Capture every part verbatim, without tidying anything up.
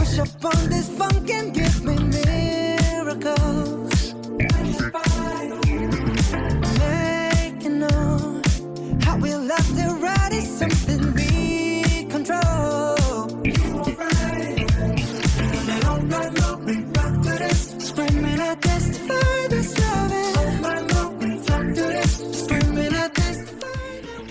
Push up on this funk and give me miracles. Make it known how we love to ride is something we control. You are right. And all night long we rock to this. Screaming I testify this loving. All night long we rock to this. Screaming I testify.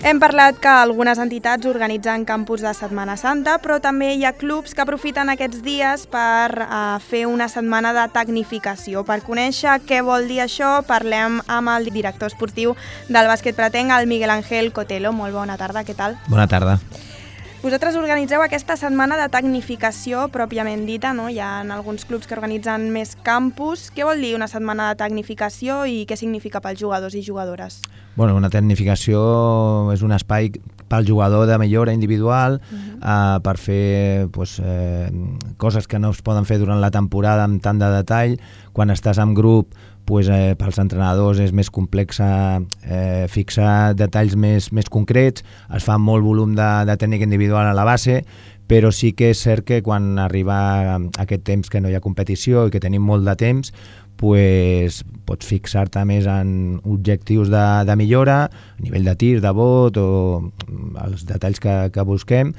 Hem parlat que algunes entitats organitzen campus de Setmana Santa, però també hi ha clubs que aprofiten aquests dies per uh, fer una setmana de tecnificació. Per conèixer què vol dir això, parlem amb el director esportiu del bàsquet Pretenc, el Miguel Ángel Cotelo. Molt bona tarda, què tal? Bona tarda. Vosaltres organitzeu aquesta setmana de tecnificació pròpiament dita, no? Hi ha alguns clubs que organitzen més campus. Què vol dir una setmana de tecnificació i què significa pels jugadors i jugadores? Bueno, una tecnificació és un espai pel jugador de millora individual, uh-huh. uh, per fer pues, eh, coses que no es poden fer durant la temporada amb tant de detall. Quan estàs en grup, pues, eh, pels entrenadors és més complex eh, fixar detalls més, més concrets, es fa molt volum de, de tècnica individual a la base, però sí que és cert que quan arriba aquest temps que no hi ha competició i que tenim molt de temps, pues, pots fixar-te més en objectius de, de millora, a nivell de tir, de bot o els detalls que, que busquem,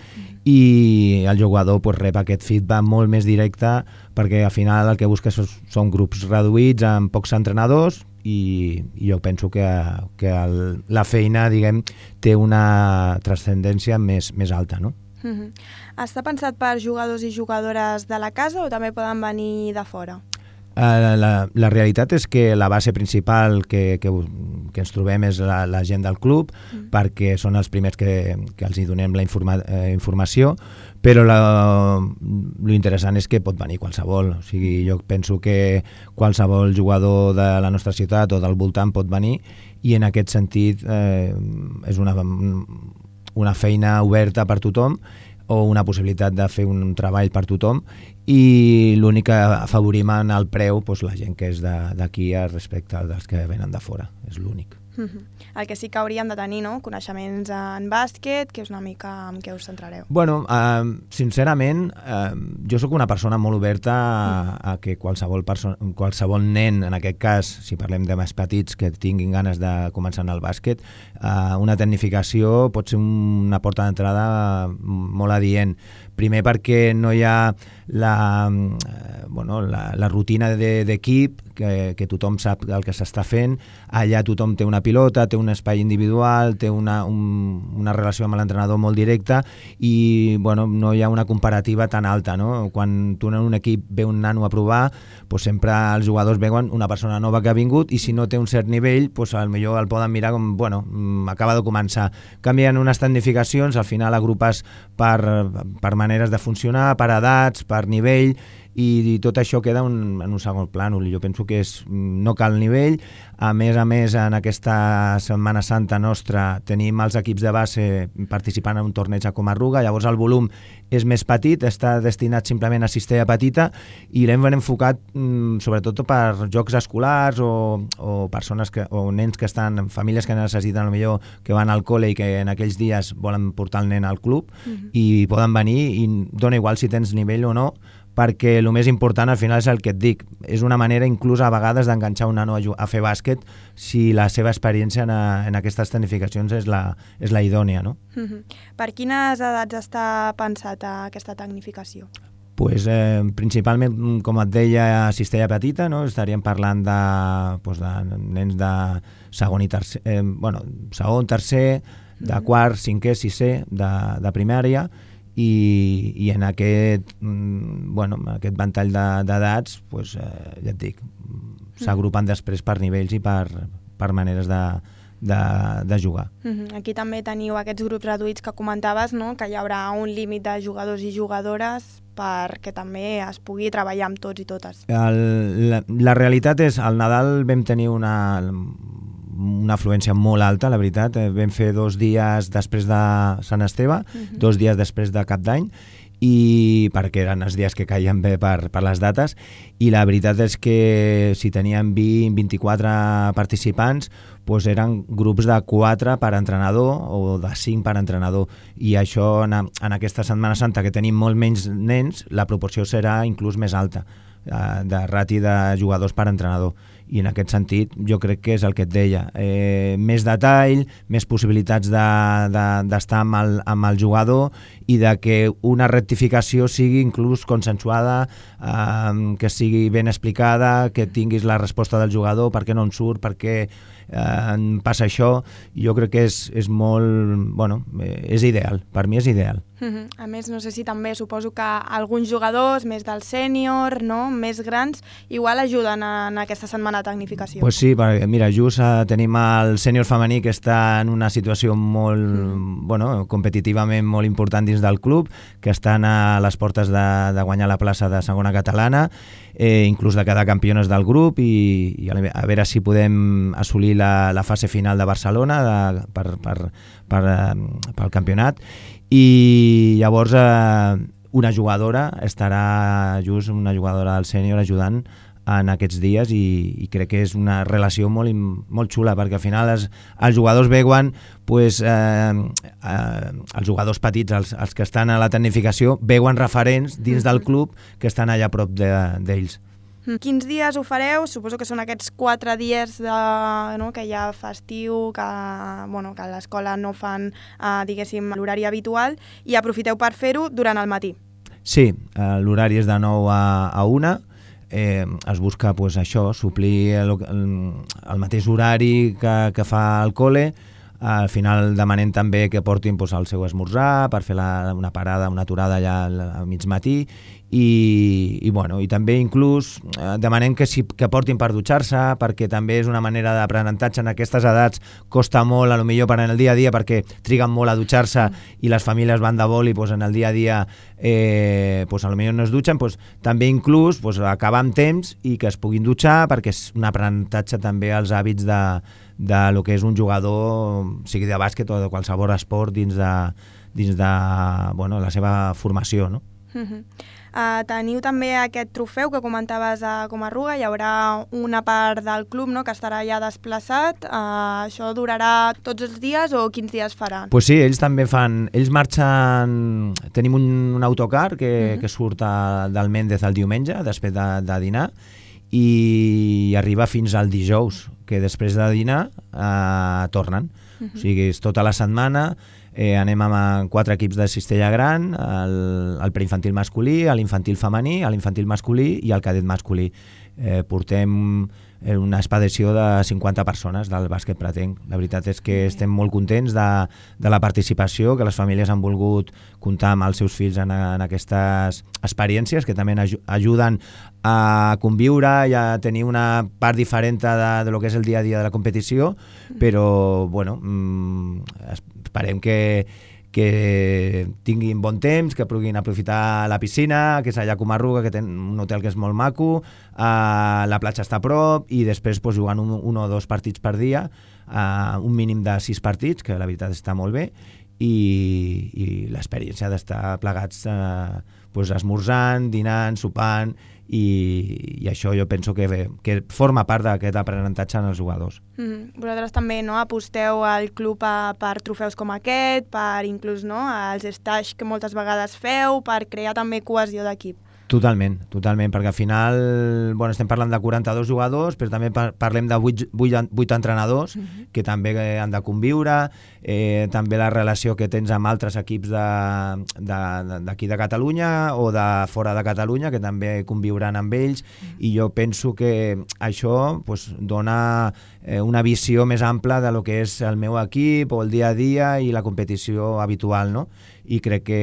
i el jugador pues, rep aquest feedback molt més directe perquè al final el que busca són, són grups reduïts amb pocs entrenadors i, i jo penso que, que el, la feina diguem, té una transcendència més, més alta, no? Uh-huh. Està pensat per jugadors i jugadores de la casa o també poden venir de fora? Uh, la, la realitat és que la base principal que, que, que ens trobem és la, la gent del club, mm. perquè són els primers que, que els hi donem la informa, eh, informació, però la, lo interessant és que pot venir qualsevol. O sigui, jo penso que qualsevol jugador de la nostra ciutat o del voltant pot venir i en aquest sentit eh, és una, una feina oberta per tothom o una possibilitat de fer un treball per tothom i l'únic que afavorim en el preu doncs la gent que és d'aquí respecte dels que venen de fora, és l'únic. Uh-huh. El que sí que hauríem de tenir, no? Coneixements en bàsquet, que és una mica amb què us centrareu. Bueno, eh, sincerament, eh, jo sóc una persona molt oberta a, a que qualsevol, perso- qualsevol nen, en aquest cas, si parlem de més petits que tinguin ganes de començar en el bàsquet, eh, una tecnificació pot ser una porta d'entrada molt adient. Primer perquè no hi ha la, eh, bueno, la, la rutina de, d'equip, que, que tothom sap el que s'està fent, allà tothom té una pilota, té un espai individual, té una, un, una relació amb l'entrenador molt directa i bueno, no hi ha una comparativa tan alta, no? Quan tu en un equip ve un nano a provar, pues sempre els jugadors veuen una persona nova que ha vingut i si no té un cert nivell, pues potser el poden mirar com, bueno, acaba de començar. Canvien unes tecnificacions, al final agrupes per, per maneres de funcionar, per edats, per nivell, i tot això queda un, en un segon plànol. Jo penso que és, no cal nivell. A més a més, en aquesta Setmana Santa nostra tenim els equips de base participant en un torneig a Comarruga, llavors el volum és més petit, està destinat simplement a cistella petita i l'hem enfocat mm, sobretot per jocs escolars o, o persones que, o nens que estan, famílies que necessiten millor que van al col·le i que en aquells dies volen portar el nen al club uh-huh. i poden venir i dona igual si tens nivell o no, perquè el més important al final és el que et dic, és una manera inclús a vegades d'enganxar un nano a, a fer bàsquet si la seva experiència en, a, en aquestes tecnificacions és la, és la idònia, no? Uh-huh. Per quines edats està pensat aquesta tecnificació? Pues, eh, principalment, com et deia, cistella petita, no? Estaríem parlant de, pues, de nens de segon i tercer, eh, bueno, segon, tercer, de uh-huh. quart, cinquè, sisè, de, de primària, I, i en aquest, bueno, aquest ventall d'edats, pues, eh, ja et dic, s'agrupen després per nivells i per, per maneres de, de, de jugar. Uh-huh. Aquí també teniu aquests grups reduïts que comentaves, no? Que hi haurà un límit de jugadors i jugadores perquè també es pugui treballar amb tots i totes. El, la, la realitat és, al Nadal vam tenir una... una afluència molt alta, la veritat. Vam fer dos dies després de Sant Esteve, uh-huh. dos dies després de Cap d'Any, i perquè eren els dies que caien bé per, per les dates, i la veritat és que si teníem vint a vint-i-quatre participants, doncs eren grups de quatre per entrenador o de cinc per entrenador, i això en, en aquesta Setmana Santa, que tenim molt menys nens, la proporció serà inclús més alta de rati de jugadors per entrenador, i en aquest sentit jo crec que és el que et deia, eh, més detall, més possibilitats d'estar de, de, amb, el, amb el jugador, i de que una rectificació sigui inclús consensuada, eh, que sigui ben explicada, que tinguis la resposta del jugador, per què no en surt, per què eh, passa això. Jo crec que és, és molt, bueno, és ideal, per mi és ideal. Uh-huh. A més, no sé si també suposo que alguns jugadors més del sènior, no? Més grans, igual ajuden en aquesta setmana de tecnificació. Pues sí, perquè mira, just eh, tenim el sènior femení que està en una situació molt, mm. bueno, competitivament molt important dins del club, que estan a les portes de, de guanyar la plaça de segona catalana, eh, inclús de quedar campiones del grup, i, i a veure si podem assolir la, la fase final de Barcelona de, per, per, per, eh, pel campionat. I llavors eh, una jugadora estarà just una jugadora del sènior ajudant en aquests dies, i, i crec que és una relació molt, molt xula, perquè al final els, els jugadors veuen pues, eh, eh, els jugadors petits, els, els que estan a la tecnificació, veuen referents dins del club que estan allà a prop d'ells. De, Quins dies ho fareu? Suposo que són aquests quatre dies de, no, que hi ha festiu, que, bueno, que a l'escola no fan eh, diguéssim l'horari habitual, i aprofiteu per fer-ho durant el matí. Sí, eh, l'horari és de nou a, a una. Eh, es busca pues, això, suplir el, el, el mateix horari que, que fa el col·le. Al final demanem també que portin pues, el seu esmorzar per fer la, una parada, una aturada allà al, al mig matí, i, i, bueno, i també inclús eh, demanem que, si, que portin per dutxar-se, perquè també és una manera d'aprenentatge. En aquestes edats costa molt, a lo millor per en el dia a dia, perquè triguen molt a dutxar-se i les famílies van de boli, pues, en el dia a dia eh, pues, a lo millor no es dutxen, pues, també inclús pues, acabar amb temps i que es puguin dutxar, perquè és un aprenentatge també als hàbits de, de lo que és un jugador, sigui de bàsquet o de qualsevol esport, dins de, dins de bueno, la seva formació, no? Uh-huh. Uh, teniu també aquest trofeu que comentaves a Comarruga, hi haurà una part del club, no?, que estarà ja desplaçat. Uh, això durarà tots els dies o quins dies faran? Pues sí, ells també fan, ells marxen, tenim un, un autocar que, uh-huh. que surt a, del Méndez el diumenge després de, de dinar, i arriba fins al dijous, que després de dinar eh, tornen. Uh-huh. O sigui, és tota la setmana. Eh, anem amb quatre equips de cistella gran, el, el preinfantil masculí, l'infantil femení, l'infantil masculí i el cadet masculí. Eh, portem una expedició de cinquanta persones del bàsquet pretenc. La veritat és que estem molt contents de, de la participació, que les famílies han volgut comptar amb els seus fills en, en aquestes experiències, que també ajuden a conviure i a tenir una part diferent de, de lo que és el dia a dia de la competició, però bueno, mmm, esperem que, que tinguin bon temps, que puguin aprofitar la piscina, que és allà a Comarruga, que té un hotel que és molt maco, uh, la platja està a prop, i després pues, jugant un, un o dos partits per dia, uh, un mínim de sis partits, que la veritat està molt bé, i, i l'experiència d'estar plegats uh, pues, esmorzant, dinant, sopant, i, i això jo penso que, que forma part d'aquest aprenentatge en els jugadors. Mm-hmm. Vosaltres també, no, aposteu al club a, per trofeus com aquest, per inclús, no, els stage que moltes vegades feu, per crear també cohesió d'equip. Totalment, totalment, perquè al final bueno, estem parlant de quaranta-dos jugadors, però també par parlem de vuit entrenadors uh-huh. que també han de conviure, eh, també la relació que tens amb altres equips d'aquí de, de, de Catalunya o de fora de Catalunya, que també conviuran amb ells, uh-huh. i jo penso que això pues, dona eh, una visió més ampla de lo que és el meu equip o el dia a dia i la competició habitual, no? I crec que,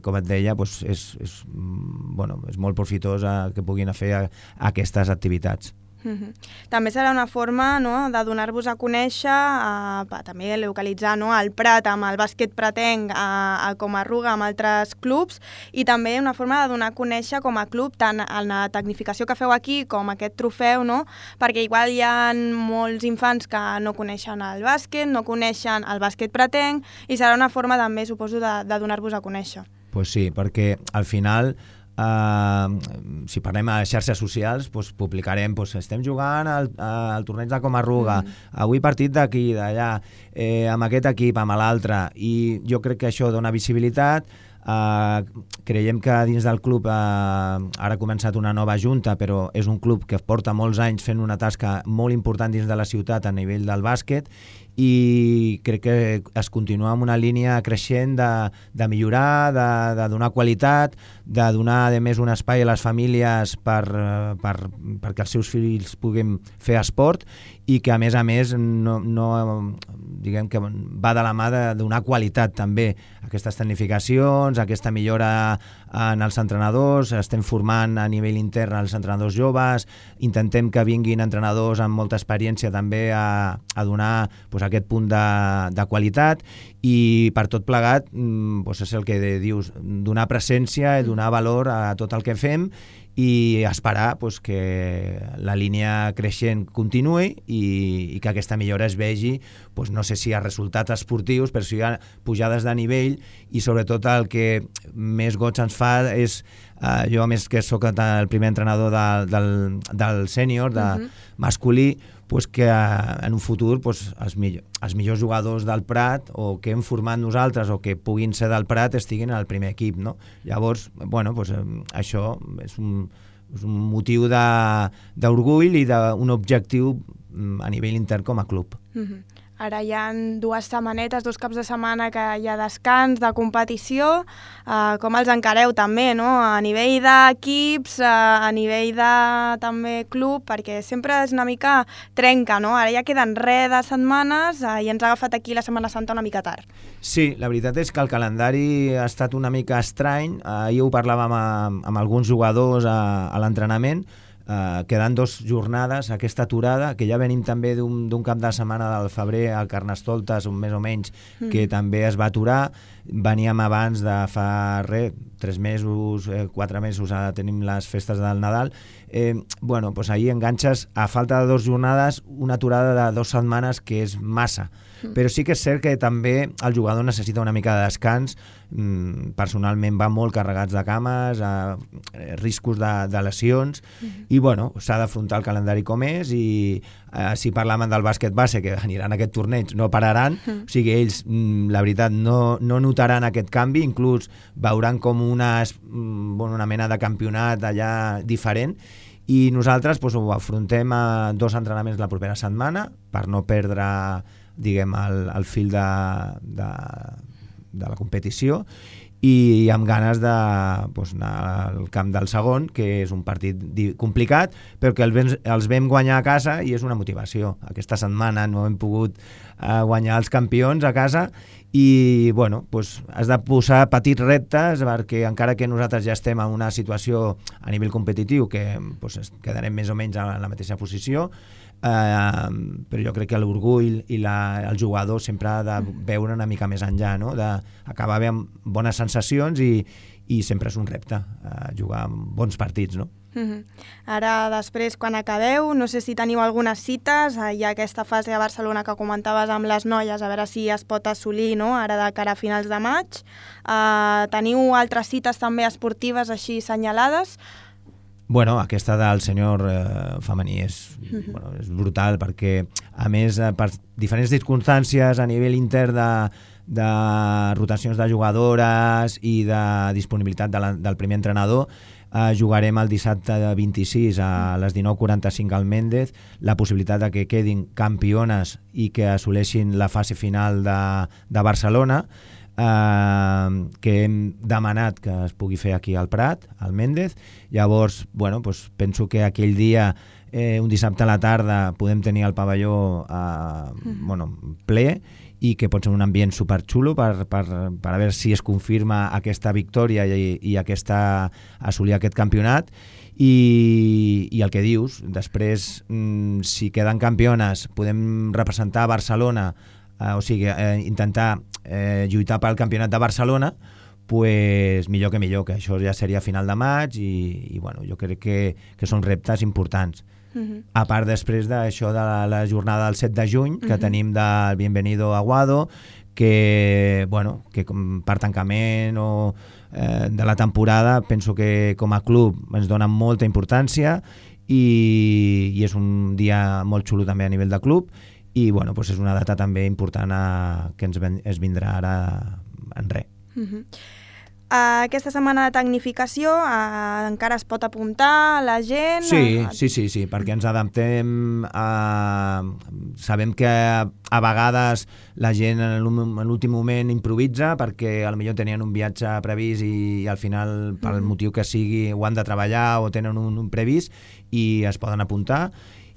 com et deia, doncs és, és, bueno, és molt profitós que puguin fer a, a aquestes activitats. Mm-hmm. També serà una forma, no, de donar-vos a conèixer, a, també localitzar, no, el Prat amb el bàsquet pretenc a, a Comarruga amb altres clubs, i també una forma de donar a conèixer com a club tant en la tecnificació que feu aquí com aquest trofeu, no? Perquè igual hi ha molts infants que no coneixen el bàsquet, no coneixen el bàsquet pretenc, i serà una forma també, suposo, de, de donar-vos a conèixer. Pues sí, perquè al final Uh, si parlem a xarxes socials, pues, publicarem, pues, estem jugant al, al torneig de Comarruga, mm. avui partit d'aquí, d'allà, eh, amb aquest equip, amb l'altre, i jo crec que això dona visibilitat. Uh, creiem que dins del club uh, ara ha començat una nova junta, però és un club que porta molts anys fent una tasca molt important dins de la ciutat a nivell del bàsquet, i crec que es continua amb una línia creixent de, de millorar, de, de donar qualitat, de donar a més un espai a les famílies per, per, perquè els seus fills puguin fer esport, i que a més a més no, no, diguem que va de la mà de donar qualitat també a aquestes tecnificacions, a aquesta millora en els entrenadors. Estem formant a nivell intern els entrenadors joves, intentem que vinguin entrenadors amb molta experiència també a, a donar pues, aquest punt de, de qualitat, i per tot plegat pues, és el que dius, donar presència i donar valor a tot el que fem, i esperar pues, que la línia creixent continuï i, i que aquesta millora es vegi, pues, no sé si hi ha resultats esportius, però si hi ha pujades de nivell, i sobretot el que més goig ens fa és, uh, jo a més que sóc el primer entrenador de, del, del sènior, de uh-huh. masculí, pues que en un futur pues, els, millor, els millors jugadors del Prat, o que hem format nosaltres o que puguin ser del Prat, estiguin al primer equip, no? Llavors, bueno, pues, això és un, és un motiu d'orgull i d'un objectiu a nivell intern com a club. Mm-hmm. Ara hi ha dues setmanetes, dos caps de setmana que hi ha descans de competició. Uh, com els encareu també, no? A nivell d'equips, uh, a nivell de també club, perquè sempre és una mica trenca, no? Ara ja queden res de setmanes uh, i ens ha agafat aquí la Setmana Santa una mica tard. Sí, la veritat és que el calendari ha estat una mica estrany. Uh, ahir ho parlàvem amb, amb alguns jugadors a, a l'entrenament. Uh, quedant dos jornades, aquesta aturada, que ja venim també d'un cap de setmana del febrer al Carnestoltes, un més o menys, mm. que també es va aturar. Veníem abans de fa res, tres mesos, eh, quatre mesos, ara tenim les festes del Nadal. Eh, bueno, doncs ahir enganxes, a falta de dues jornades, una aturada de dues setmanes que és massa. Mm. Però sí que és cert que també el jugador necessita una mica de descans. Mm, personalment va molt carregats de cames, eh, riscos de, de lesions, mm. i bueno, s'ha d'afrontar el calendari com és, i eh, si parlàvem del bàsquet base, que aniran a aquest torneig, no pararan, mm. o sigui, ells, mm, la veritat, no, no notaran aquest canvi, inclús veuran com una, bueno, una mena de campionat allà diferent, i nosaltres pues, ho afrontem a dos entrenaments la propera setmana per no perdre, diguem, el, el fil de, de, de la competició, i amb ganes de pues, anar al camp del segon, que és un partit complicat, però que el vam, els vam guanyar a casa i és una motivació. Aquesta setmana no hem pogut uh, guanyar els campions a casa, i bueno, pues, has de posar petits reptes, perquè encara que nosaltres ja estem en una situació a nivell competitiu que pues, quedarem més o menys a la mateixa posició, eh, però jo crec que l'orgull i la, el jugador sempre ha de veure una mica més enllà, no? D'acabar amb bones sensacions, i, i sempre és un repte eh, jugar bons partits, no? Mm-hmm. Ara, després, quan acabeu, no sé si teniu algunes cites, hi ha aquesta fase a Barcelona que comentaves amb les noies, a veure si es pot assolir, no?, ara de cara a finals de maig. Uh, teniu altres cites també esportives així senyalades? Bueno, aquesta del senyor eh, femení és, mm-hmm. bueno, és brutal, perquè a més, eh, per diferents circumstàncies a nivell intern de, de rotacions de jugadores i de disponibilitat de la, del primer entrenador, Uh, jugarem el dissabte vint-i-sis a les dinou quaranta-cinc al Méndez, la possibilitat de que quedin campiones i que assoleixin la fase final de, de Barcelona, uh, que hem demanat que es pugui fer aquí al Prat, al Méndez. Llavors, bueno, pues penso que aquell dia, eh, un dissabte a la tarda, podem tenir el pavelló uh, mm. bueno, ple, i que pot ser un ambient superxulo per, per, per a veure si es confirma aquesta victòria i, i aquesta, assolir aquest campionat. I, i el que dius, després, mmm, si queden campiones, podem representar Barcelona, eh, o sigui, eh, intentar eh, lluitar pel campionat de Barcelona, pues millor que millor, que això ja seria a final de maig, i, i bueno, jo crec que, que són reptes importants. Uh-huh. A part després d'això de la, la jornada del set de juny, que uh-huh. tenim del Bienvenido Aguado, que, bueno, que com per tancament o eh, de la temporada penso que com a club ens dona molta importància i, i és un dia molt xulo també a nivell de club i bueno, doncs és una data també important a, que ens ven, es vindrà ara en res. Uh-huh. Uh, aquesta setmana de tecnificació uh, encara es pot apuntar la gent? Sí, sí, sí, sí, perquè ens adaptem a... Sabem que a, a vegades la gent en l'últim moment improvisa perquè potser tenien un viatge previst i, i al final, pel mm. motiu que sigui, ho han de treballar o tenen un, un previst i es poden apuntar.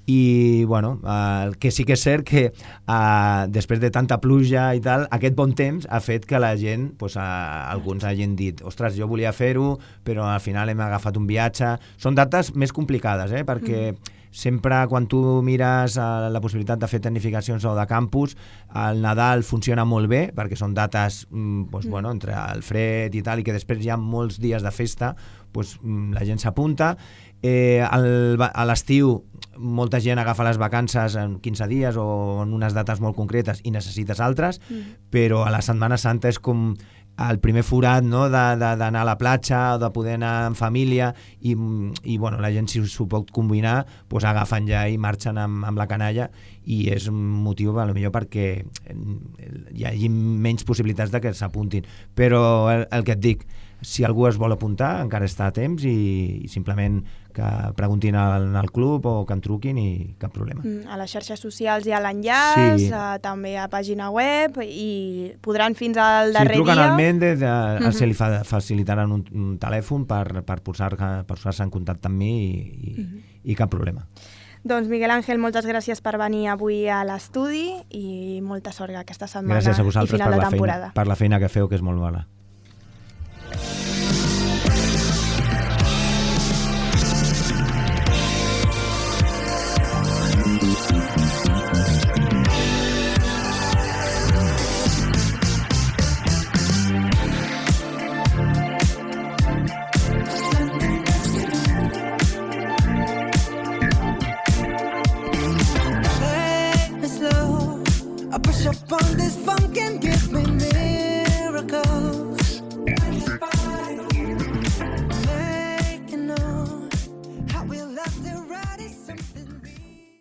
I bueno, eh, el que sí que és cert que eh, després de tanta pluja i tal, aquest bon temps ha fet que la gent, pues, eh, alguns hagin dit ostres, jo volia fer-ho, però al final hem agafat un viatge. Són dates més complicades, eh, perquè mm. sempre quan tu mires eh, la possibilitat de fer tecnificacions o de campus, el Nadal funciona molt bé, perquè són dates mm, pues, mm. bueno, entre el fred i tal, i que després hi ha molts dies de festa, pues, la gent s'apunta. Eh, el, a l'estiu molta gent agafa les vacances en quinze dies o en unes dates molt concretes i necessites altres, mm. però a la Setmana Santa és com el primer forat, no?, d'anar a la platja o de poder anar en família i, i bueno, la gent si s'ho pot combinar pues, agafen ja i marxen amb, amb la canalla i és un motiu potser perquè hi hagi menys possibilitats de que s'apuntin, però el, el que et dic, si algú es vol apuntar encara està a temps i, i simplement que preguntin al, al club o que en truquin i cap problema. A les xarxes socials hi ha l'enllaç, sí. uh, també a pàgina web i podran fins al darrer dia... Si truquen al Méndez, uh, uh-huh. se li fa, facilitaran un, un telèfon per, per posar-se posar en contacte amb mi i, i, uh-huh. i cap problema. Doncs Miguel Ángel, moltes gràcies per venir avui a l'estudi i molta sort aquesta setmana gràcies a vosaltres i final per de la temporada. Feina, per la feina que feu, que és molt bona. Up on this